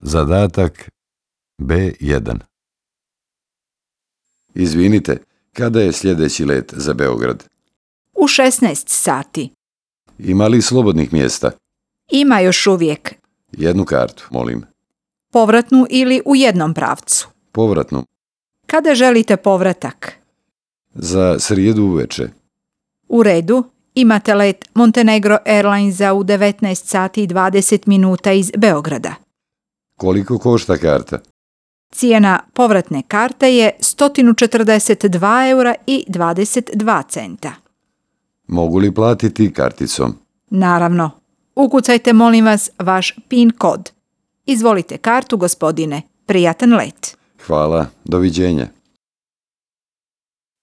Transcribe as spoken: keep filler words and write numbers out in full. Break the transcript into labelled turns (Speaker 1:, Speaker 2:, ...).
Speaker 1: Zadatak B jedan. Izvinite, kada je sljedeći let za Beograd?
Speaker 2: U šesnaest sati.
Speaker 1: Ima li slobodnih mjesta?
Speaker 2: Ima još uvijek.
Speaker 1: Jednu kartu, molim.
Speaker 2: Povratnu ili u jednom pravcu?
Speaker 1: Povratnu.
Speaker 2: Kada želite povratak?
Speaker 1: Za srijedu uveče.
Speaker 2: U redu. Imate let Montenegro Airlinesa u devetnaest sati i dvadeset minuta iz Beograda.
Speaker 1: Koliko košta karta?
Speaker 2: Cijena povratne karte je sto četrdeset dva eura i dvadeset dva centa.
Speaker 1: Mogu li platiti karticom?
Speaker 2: Naravno. Ukucajte, molim vas, vaš PIN kod. Izvolite kartu, gospodine. Prijatan let.
Speaker 1: Hvala. Doviđenja.